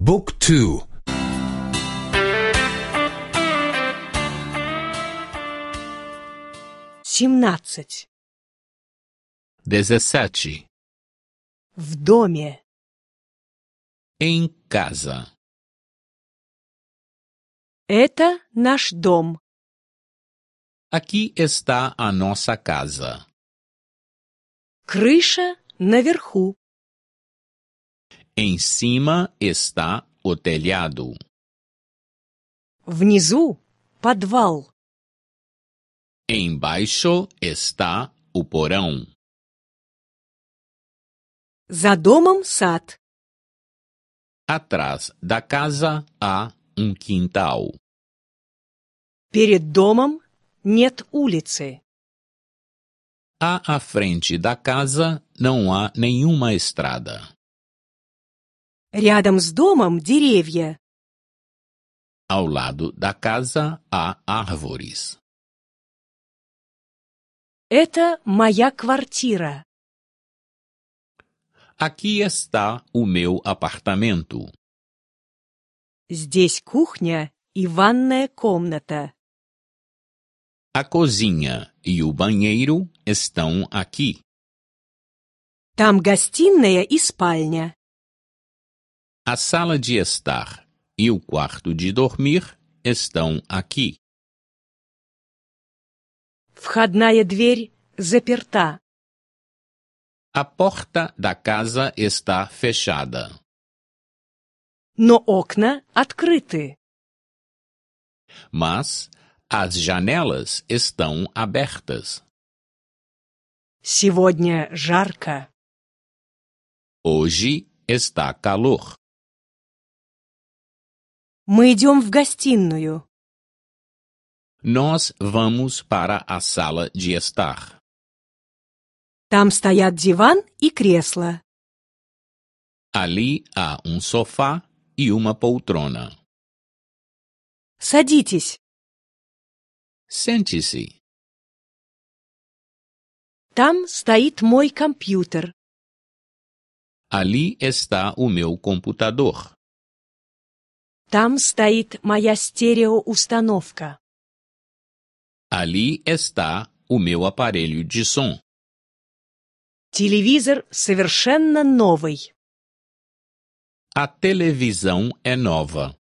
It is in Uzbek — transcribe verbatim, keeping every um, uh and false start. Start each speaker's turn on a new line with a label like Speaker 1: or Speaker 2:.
Speaker 1: Book two.
Speaker 2: Семнадцать.
Speaker 3: Dezessete.
Speaker 2: В доме.
Speaker 3: Em casa.
Speaker 2: Это наш дом.
Speaker 3: Aqui está a nossa casa.
Speaker 2: Крыша наверху.
Speaker 3: Em cima está o telhado.
Speaker 2: Внизу подвал.
Speaker 3: Embaixo está o porão.
Speaker 2: За домом сад.
Speaker 3: Atrás da casa há um quintal.
Speaker 2: Перед домом нет улицы.
Speaker 3: À, à frente da casa não há nenhuma estrada.
Speaker 2: Рядом с домом деревья.
Speaker 3: Ao lado da casa há árvores.
Speaker 2: Это моя квартира.
Speaker 3: Aqui está o meu apartamento.
Speaker 2: Здесь кухня и ванная комната.
Speaker 3: A cozinha e o banheiro estão aqui.
Speaker 2: Там гостиная и спальня.
Speaker 3: A sala de estar e o quarto de dormir estão aqui.
Speaker 2: Входная дверь заперта.
Speaker 3: A porta da casa está fechada.
Speaker 2: Но окна открыты.
Speaker 3: Mas as janelas estão abertas.
Speaker 2: Сегодня жарко.
Speaker 3: Hoje está calor.
Speaker 2: Мы идем в гостиную.
Speaker 3: Nós vamos para a sala de estar.
Speaker 2: Там стоят диван и кресло.
Speaker 3: Ali há um sofá e uma poltrona.
Speaker 2: Садитесь.
Speaker 3: Sente-se.
Speaker 2: Там стоит мой компьютер.
Speaker 3: Ali está o meu computador.
Speaker 2: Там стоит моя стереоустановка.
Speaker 3: Ali está o meu aparelho de som.
Speaker 2: Телевизор совершенно новый.
Speaker 3: A televisão é nova.